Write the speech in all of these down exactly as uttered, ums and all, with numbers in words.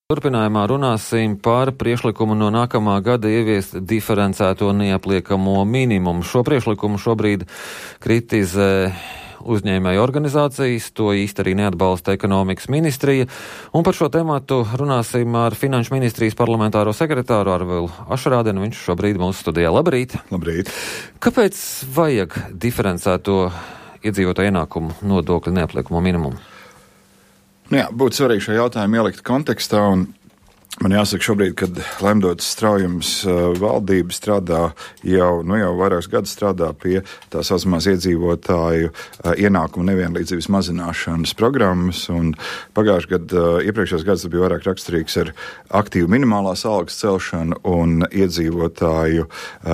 Turpinājumā runāsim par priekšlikumu no nākamā gada ieviest diferencēto neapliekamo minimumu. Šo priekšlikumu šobrīd kritizē uzņēmēju organizācijas, to īsti arī neatbalsta ekonomikas ministrija. Un par šo tematu runāsim ar Finanšu ministrijas parlamentāro sekretāru Arvilu Ašrādenu. Viņš šobrīd mūsu studijā. Labrīt! Labrīt! Kāpēc vajag diferencēto iedzīvotāju ienākumu nodokļu neapliekamo minimumu? Nu jā, būtu svarīgi šo jautājumu ielikt kontekstā, un man jāsaka šobrīd, kad Lemdotas Straujums valdība strādā jau, nu jau vairākus gadus strādā pie tā saucamās iedzīvotāju ienākumu nevienlīdzības mazināšanas programmas, un pagājušajā gadā, iepriekšējos gados bija vairāk raksturīgs ar aktīvu minimālās algas celšanu un iedzīvotāju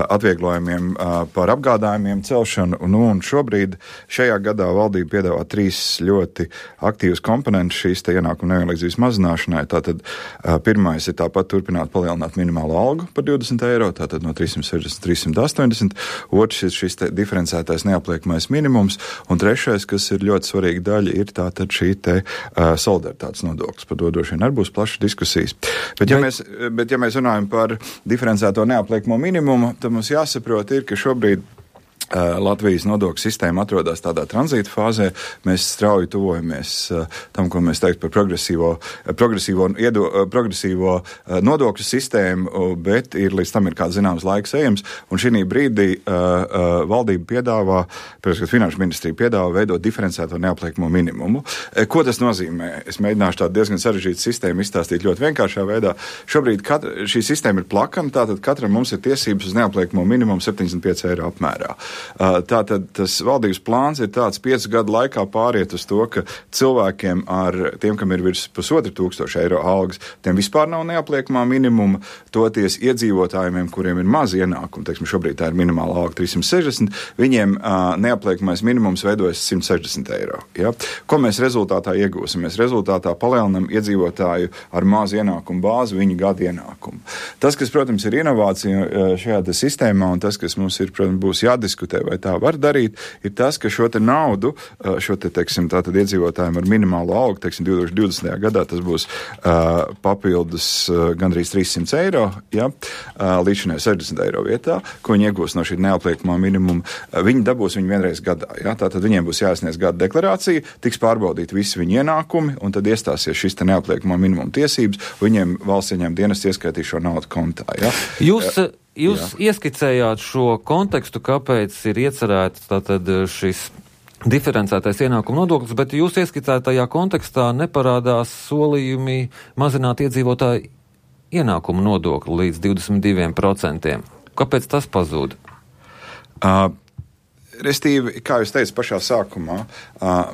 atvieglojumiem par apgādājumiem celšanu, nu, un šobrīd šajā gadā valdība piedāvā trīs ļoti aktīvas komponentus šīs te ienākumu nevienlīdzības mazināšanai. Tātad pirmā ir tāpat turpināt palielināt minimālo algu par divdesmit eiro, tātad no trīs simti sešdesmit līdz trīs simti astoņdesmit. Otrs ir šis diferencētais neapliekamais minimums. Un trešais, kas ir ļoti svarīga daļa, ir tātad šī te uh, solidaritātes nodoklis. Par to droši vien arī būs plašas diskusijas. Bet ja, bet... Mēs, bet ja mēs runājam par diferencēto neapliekamo minimumu, tad mums jāsaprot ir, ka šobrīd Latvijas nodokļu sistēma atrodas tādā tranzīta fāzē. Mēs strauji tuvojamies tam, ko mēs teikt par progresīvo, progresīvo, iedo, progresīvo nodokļu sistēmu, bet ir līdz tam ir kāds zināms laiks ejams. Un šī brīdī uh, valdība piedāvā, protams, ka Finanšu ministrija piedāvā veidot diferencēto neapliekamo minimumu. Ko tas nozīmē? Es mēģināšu tādu diezgan sarežģītu sistēmu izstāstīt ļoti vienkāršā veidā. Šobrīd katra, šī sistēma ir plakana, tātad katram mums ir tiesības uz neapliekamo minimumu septiņdesmit pieci eiro apmērā. Tātad tas valdības plāns ir tāds piecu gadu laikā pāriet uz to, ka cilvēkiem ar tiem, kam ir virs pusotra tūkstoša eiro algas, tiem vispār nav neapliekamā minimuma, toties iedzīvotājiem, kuriem ir maz ienākumu, teiksim, šobrīd tā ir minimāla alga trīs simti sešdesmit, viņiem uh, neapliekamais minimums veidojas simt sešdesmit eiro. Ja? Ko mēs rezultātā iegūsim? Mēs rezultātā palielinam iedzīvotāju ar mazu ienākumu bāzi viņu gadu ienākumu. Tas, kas, protams, ir inovācija šajā sistēmā un tas, kas mums ir, protams, būs jādiskutē, vai tā var darīt, ir tas, ka šo te naudu, šo te, teiksim, tātad iedzīvotājiem ar minimālo algu, teiksim, divi tūkstoši divdesmitajā gadā tas būs uh, papildus uh, gandrīz trīs simti eiro, ja, uh, līdz šinai sešdesmit eiro vietā, ko viņi iegūs no šī neapliekamā minimuma. Uh, viņi dabūs viņu vienreiz gadā, ja, tātad viņiem būs jāsniedz gada deklarācija, tiks pārbaudīt visi viņu ienākumi, un tad iestāsies šis te neapliekamā minimuma tiesības, viņiem valsts ieņēmuma dienests ieskaitīs šo naudu kontā, ja. Jūs... Uh, Jūs Jā. ieskicējāt šo kontekstu, kāpēc ir iecerēts tātad šis diferencētais ienākumu nodoklis, bet jūs ieskicētajā kontekstā neparādās solījumi mazināt iedzīvotāju ienākumu nodokli līdz divdesmit diviem procentiem. Kāpēc tas pazūd? Uh. Restīvi, kā jūs teicat pašā sākumā,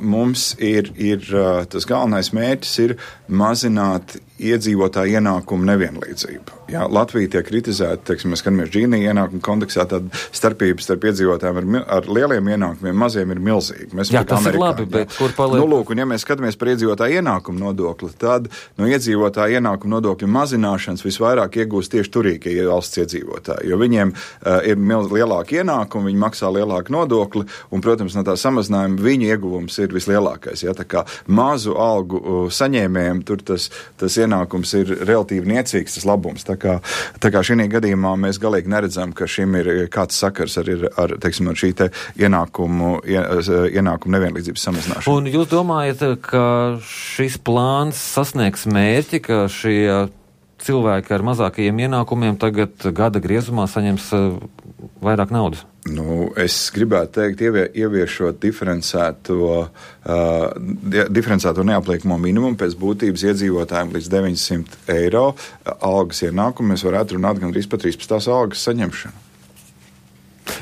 mums ir, ir tas galvenais mērķis ir mazināt iedzīvotāju ienākumu nevienlīdzību. Jā, Latvija tiek kritizēta, teiksim, mēs skatāmies Džīnī ienākumu kontekstā, tad starpības starp iedzīvotājiem ar, ar lieliem ienākumiem, maziem ir milzīgi. Mēs jā, tas Amerikā, ir labi, bet jā. Kur paliek? Nu, lūk, un ja mēs skatāmies par iedzīvotāju ienākumu nodokli, tad no iedzīvotāju ienākumu nodokļu mazināšanas visvairāk iegūst tieši turīgie valsts iedzīvotāji, jo viņiem uh, ir milz, lielāki ienākumi, viņi maksā lielāku nodokli, un, protams, no tā samazinājuma viņu ieguvums ir vislielākais. Ja? Tā kā mazu algu uh, saņēmējiem tur tas, tas ienākums ir relatīvi niecīgs, tas labums. Tā kā, tā kā šī gadījumā mēs galīgi neredzam, ka šim ir kāds sakars ar, ar, teiksim, ar šī te ienākumu, ienākumu nevienlīdzības samazināšanu. Un jūs domājat, ka šis plāns sasniegs mērķi, ka šie cilvēki ar mazākajiem ienākumiem tagad gada griezumā saņems vairāk naudas? Nu, es gribētu teikt, ievie, ieviešot diferencēto, uh, diferencēto neapliekamo minimumu pēc būtības iedzīvotājiem līdz deviņsimt eiro algas ienākumu, mēs varētu runāt gandrīz par trīspadsmitās algas saņemšanu.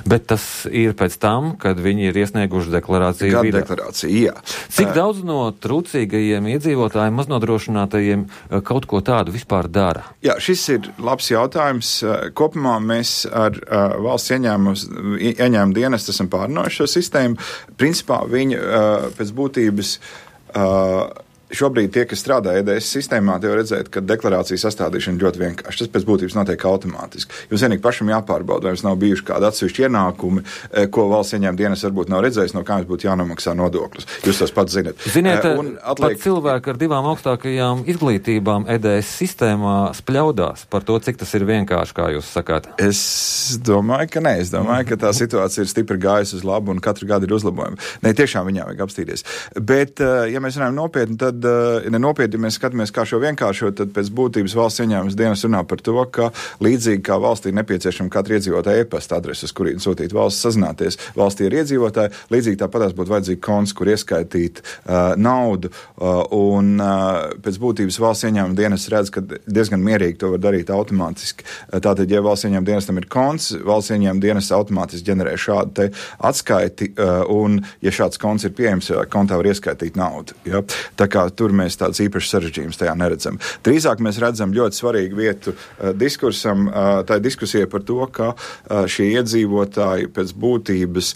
Bet tas ir pēc tam, kad viņi ir iesnieguši deklarāciju. Gada deklarācija, jā. Cik daudz no trūcīgajiem iedzīvotājiem, maznodrošinātajiem kaut ko tādu vispār dara? Jā, šis ir labs jautājums. Kopumā mēs ar uh, valsts ieņēmumu dienestu esam pārnājuši šo sistēmu. Principā viņi uh, pēc būtības uh, šobrīd tie, kas strādā E D S sistēmā, tie var redzēt, ka deklarācija sastādīšana ļoti vienkārši. Tas pēc būtības notiek automātiski. Jums vienīgi pašam jāpārbauda, vai jums nav bijuši kādi atsevišķi ienākumi, ko valsts ieņēmuma dienas varbūt nav redzējis, no kā jums būtu jānomaksā nodoklis. Jūs tos pats zinat. Ziniet, un atliek... pat cilvēki ar divām augstākajām izglītībām E D S sistēmā spļaudās par to, cik tas ir vienkārši, kā jūs sakāt. Es domāju, ka nē. Es domāju, ka tā situācija ir stipri gājusi uz labu un katru gadu ir uzlabojumi. Nē, tiešām viņā vajag apstīties. Bet, ja mēs runājam nopietni, tad, ja nenopietni, ja mēs skatāmies, kā šo vienkāršot, tad pēc būtības valsts ieņēmuma dienas runā par to, ka līdzīgi kā valstī nepieciešama katra iedzīvotāja e-pasta adrese, uz kurien sūtīt valsts sazināties, valstī ir iedzīvotāji, līdzīgi tāpatās būtu vajadzīgi konts, kur ieskaitīt uh, naudu, uh, un uh, pēc būtības valsts ieņēmuma dienas redz, ka diezgan mierīgi to var darīt automātiski. Uh, tātad, ja valsts ieņēmuma dienestam ir konts, valsts ieņēmuma dienas automātiski ģenerē šādu te atskaiti, uh, un ja šāds konts ir pieejams, kontā var ieskaitīt naudu. Ja? Tā kā tur mēs tāds īpašs sarežģījums tajā neredzam. Drīzāk mēs redzam ļoti svarīgu vietu uh, diskursam, uh, tā ir diskusija par to, ka uh, šie iedzīvotāji pēc būtības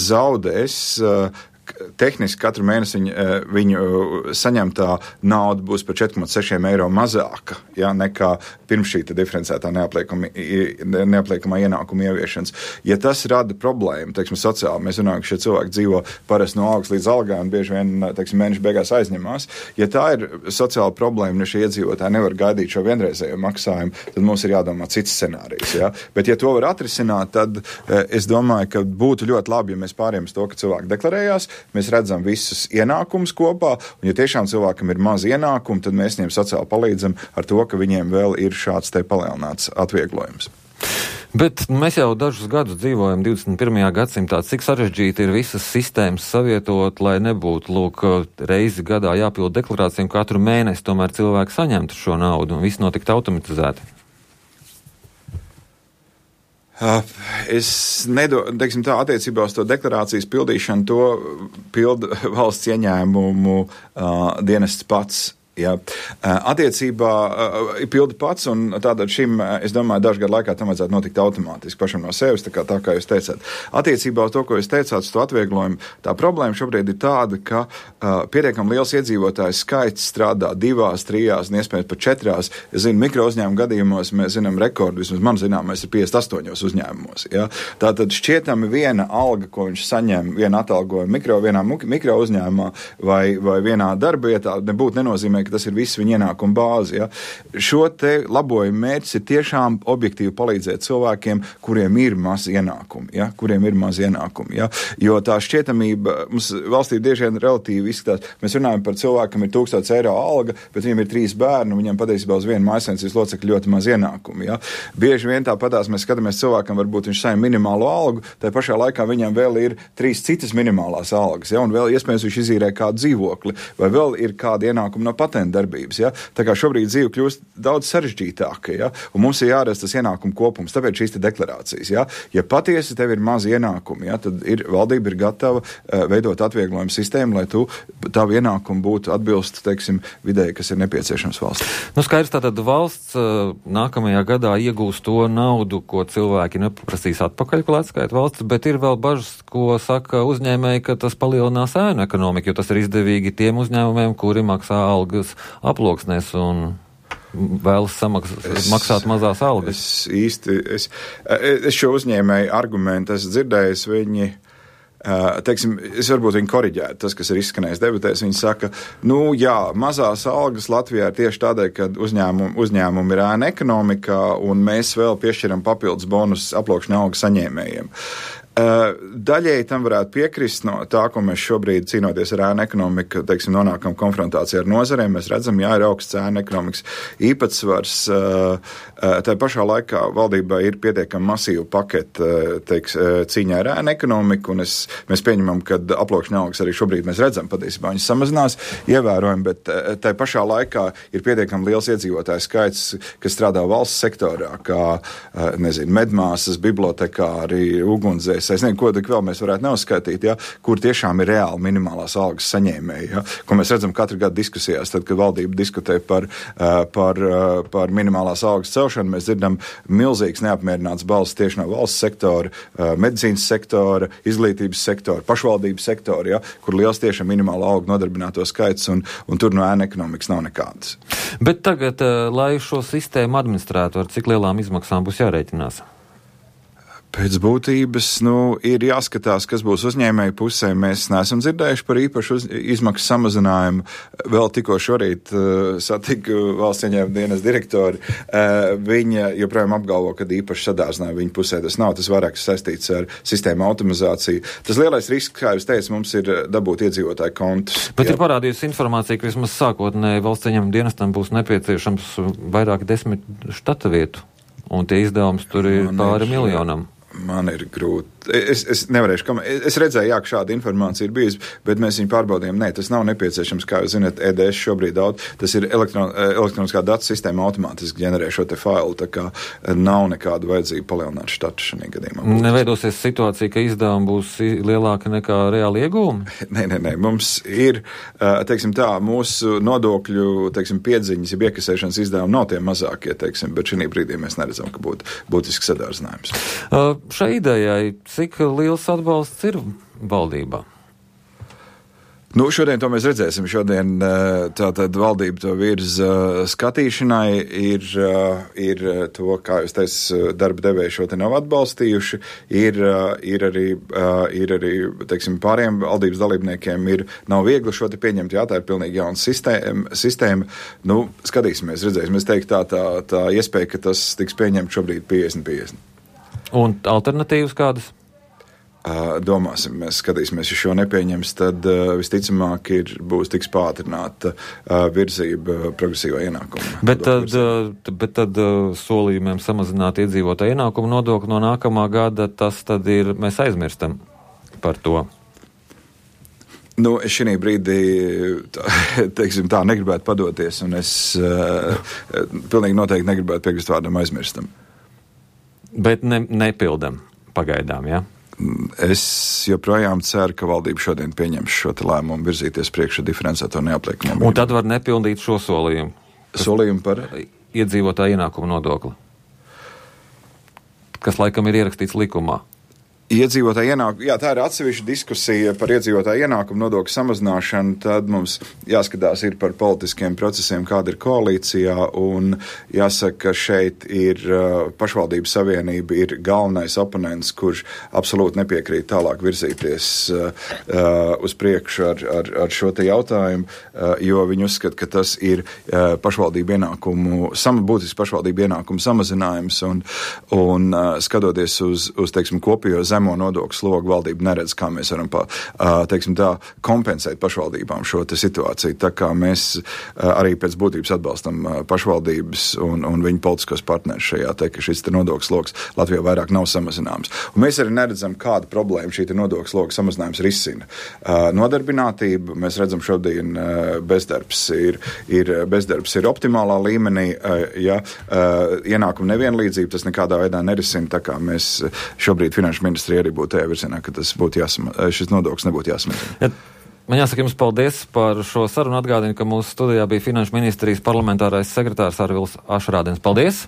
zaudēs uh, tehniski katru mēnesi viņu, viņu saņemtā nauda būs par četri komats seši eiro mazāka, ja, nekā pirms šī diferencētā neapliekamā ienākuma ieviešanas. Ja tas rada problēmu, teiksim, sociāli, mēs runājam, ka šie cilvēki dzīvo parasti no algas līdz algai un bieži vien, teiksim, mēneša beigās aizņemās. Ja tā ir sociāla problēma, un ja šie iedzīvotāji nevar gaidīt šo vienreizējo maksājumu, tad mums ir jādomā cits scenārijs. Ja? Bet ja to var atrisināt, tad es domāju, ka būtu ļoti labi, ja mēs pārējām uz to, ka cilvēki deklarējās, mēs redzam visus ienākumus kopā, un ja tiešām cilvēkam ir maz ienākumu, tad mēs viņiem sociāli palīdzam ar to, ka viņiem vēl ir šāds te palielināts atvieglojums. Bet mēs jau dažus gadus dzīvojam divdesmit pirmajā gadsimtā. Cik sarežģīti ir visas sistēmas savietot, lai nebūtu, lūk, reizi gadā jāpild deklarāciju, un katru mēnesi tomēr cilvēki saņemtu šo naudu, un viss notiktu automatizēti? Es nedomāju, teiksim tā, attiecībā uz to deklarācijas pildīšanu, to pilda valsts ieņēmumu uh, dienests pats. Ja. Attiecībā ir pildi pats, un tātad šim, es domāju, dažu gadu laikā tam vajadzētu notikt automātiski pašam no sevis, tā kā, tā kā jūs teicāt. Attiecībā uz to, ko jūs teicāt, uz to atvieglojumu, tā problēma šobrīd ir tāda, ka uh, pietiekami liels iedzīvotājs skaits strādā divās, trijās, un iespējams pat četrās. Es zinu, mikro uzņēmumu gadījumos mēs zinām rekordu, vismaz man zināmais ir piecdesmit astoņos uzņēmumos. Ja. Tātad šķietami viena alga, ko viņš saņem, viena atalgojuma mikro, vienā mikro uzņēmumā vai, vai vienā darba vietā, nebūtu nenozīmē, ka tas ir viss viņa ienākuma bāze. Ja. Šo te labojumu mērķis ir tiešām objektīvi palīdzēt cilvēkiem, kuriem ir maz ienākumi, ja, kuriem ir maz ienākumi, ja. Jo tā šķietamība mums valstī bieži vien relatīvi izskatās. Mēs runājam par cilvēkam ir tūkstots eiro alga, bet viņam ir trīs bērni, un viņam patiesībā uz vienu mājsaimniecības locekļu ļoti maz ienākumi, ja. Bieži vien tāpatās mēs skatāmies cilvēkam, varbūt viņš saņem minimālo algu, tai pašā laikā viņam vēl ir trīs citas minimālās algas, ja, un vēl iespējams viņš izīrē kādu dzīvokli, vai vēl ir kāda ienākuma no patentu darbības, ja. Tā kā šobrīd dzīve kļūst daudz sarežģītāka, ja, un mums ir jāredz tas ienākumu kopums, tāpēc šīs te deklarācijas, ja. Ja patiesi tev ir maz ienākumi, ja, tad ir, valdība ir gatava uh, veidot atvieglojumu sistēmu, lai tu tavu ienākumu būtu atbilst, teiksim, vidēji, kas ir nepieciešams valsts. Nu, skaidrs, tātad valsts uh, nākamajā gadā iegūs to naudu, ko cilvēki neprasīs atpakaļ, ko atskaita valsts, bet ir vēl bažas, ko saka uzņēmēji, ka tas palielinās ēnu ekonomiku, jo tas ir izdevīgi tiem uzņēmumiem, kuri maksā algas aploksnēs un vēlas samaksāt, es, maksāt mazās algas. Es īsti, es, es šo uzņēmēju argumentu esmu dzirdējis, viņi, teiksim, es varbūt viņi koriģētu tas, kas ir izskanējis debatēs, viņi saka, nu jā, mazās algas Latvijā ir tieši tādēļ, ka uzņēmumi, uzņēmumi ir ēna ekonomikā, un mēs vēl piešķiram papildus bonus aploksņu algu saņēmējiem. Daļēji tam varētu piekrist no tā, ko mēs šobrīd cīnoties ar ēnu ekonomiku, teiksim, nonākam konfrontācijā ar nozarēm. Mēs redzam, jā, ir augsts ēnu ekonomikas īpatsvars. Tā pašā laikā valdībā ir pietiekami masīva paketa, teiks, cīņā ar ēnu ekonomiku, un es, mēs pieņemam, ka aploksņu algas arī šobrīd mēs redzam, patiesībā viņas samazinās ievērojami, bet tā pašā laikā ir pietiekami liels iedzīvotāju skaits, kas strādā valsts sektorā, kā, nezinu, medmāsas, bibliotekāri, ugunsdzēs, es nezinu, ko tik vēl mēs varētu neuzskaitīt, ja, kur tiešām ir reāli minimālās algas saņēmēji, ja, ko mēs redzam katru gadu diskusijās, tad, kad valdība diskutē par, par, par minimālās algas celšanu, mēs dzirdam milzīgs neapmierināts balss tieši no valsts sektora, medicīnas sektora, izglītības sektora, pašvaldības sektora, ja, kur liels tiešām minimāla alga nodarbināto skaits, un, un tur no ēna ekonomikas nav nekādas. Bet tagad, lai šo sistēmu administrētu, ar cik lielām izmaksām būs jārēķinās? Pēc būtības, nu, ir jāskatās, kas būs uzņēmēju pusē. Mēs neesam dzirdējuši par īpašu uz, izmaksu samazinājumu. Vēl tikko šorīt uh, satiku valsts ieņēmuma dienas direktori. Uh, viņa joprojām apgalvo, ka īpaši sadārzinājumi viņa pusē tas nav. Tas vairāk saistīts ar sistēmu automatizāciju. Tas lielais risks, kā jūs teicat, mums ir dabūt iedzīvotāju kontus. Bet jā. Ir parādījusi informācija, ka vismaz sākotnēji valsts ieņēmuma dienestam būs nepieciešams vairāk desmit štata vietu. Un tie izdevums tur ir Man pāri ir, miljonam. Man ir grūti. Es, es nevarēšu, kam, es redzēju, jā, ka šāda informācija ir bijusi, bet mēs viņu pārbaudījām. Nē, tas nav nepieciešams, kā jūs zināt, E D S šobrīd daudz. Tas ir elektron, elektroniskā datu sistēma automātiski ģenerē šo te failu, tā kā nav nekāda vajadzība palielināt štatu šajā gadījumā. Neveidosies situācija, ka izdevumi būs lielāki nekā reāli iegūmi? Nē, nē, nē. Mums ir, teiksim tā, mūsu nodokļu, teiksim, piedziņas, ja iekasēšanas izdevumi nav tie mazākie, teiksim, bet šī brīdī mēs neredzam, ka būtu būtisks sadārdzinājums. Uh, šai idejai, cik liels atbalsts ir valdībā? Nu, šodien to mēs redzēsim. Šodien tātad valdība to virza skatīšanai. Ir, ir to, kā jūs teicat, darba devēji šo te nav atbalstījuši. Ir, ir arī, ir arī teiksim, pāriem valdības dalībniekiem ir, nav viegli šo te pieņemt. Jā, tā ir pilnīgi jauna sistēma. sistēma. Nu, skatīsimies, redzēsim. Es teiktu, tā, tā, tā iespēja, ka tas tiks pieņemt šobrīd piecdesmit piecdesmit. Un alternatīvas kādas? Uh, domāsim, mēs skatīsimies, ja šo nepieņems, tad uh, visticamāk ir, būs tiks pātrināta uh, virzība progresīvā ienākuma. Bet tad, uh, bet tad uh, solījumiem samazināt iedzīvotāju ienākumu nodokli no nākamā gada, tas tad ir, mēs aizmirstam par to. Nu, es šī brīdī, tā, teiksim tā, negribētu padoties, un es uh, pilnīgi noteikti negribētu piekrist vārdam aizmirstam. Bet ne, nepildam pagaidām, jā? Ja? Es joprojām ceru, ka valdība šodien pieņems šo te lēmumu virzīties priekšā diferencēto neapliekumu. Un tad var nepildīt šo solījumu? Solījumu par? Iedzīvotāju ienākumu nodokli, kas laikam ir ierakstīts likumā. Iedzīvotāju ienākumu, jā, tā ir atsevišķa diskusija par iedzīvotāju ienākumu nodokļu samazināšanu, tad mums jāskatās ir par politiskiem procesiem, kāda ir koalīcijā, un jāsaka, ka šeit ir uh, pašvaldības savienība ir galvenais oponents, kurš absolūti nepiekrīt tālāk virzīties uh, uh, uz priekšu ar, ar, ar šo te jautājumu, uh, jo viņi uzskata, ka tas ir uh, pašvaldību ienākumu, sam, būtisks pašvaldību ienākumu samazinājums, un, un uh, skatoties uz, uz teiksim, kopējo zemo nodokļu slogu, valdība neredz, kā mēs varam pa, teiksim tā, kompensēt pašvaldībām šo te situāciju. Tā kā mēs arī pēc būtības atbalstam pašvaldības un, un viņu politiskos partnerus šajā, te, ka šis te nodokļu slogs Latvijā vairāk nav samazināms. Un mēs arī neredzam, kāda problēma šī te nodokļu sloga samazinājums risina. Nodarbinātība, mēs redzam šodien bezdarbs ir, ir, bezdarbs ir optimālā līmenī, ja ienākuma nevienlīdzība, tas nekādā veidā nerisina, tā kā mēs šobrīd finanšu ministri arī būtu tajā virzienā, ka tas būtu jāsama, šis nodoklis nebūtu jāsamazina. Ja, man jāsaka jums paldies par šo sarunu. Atgādinu, ka mūsu studijā bija Finanšu ministrijas parlamentārais sekretārs Arvils Ašrādens. Paldies!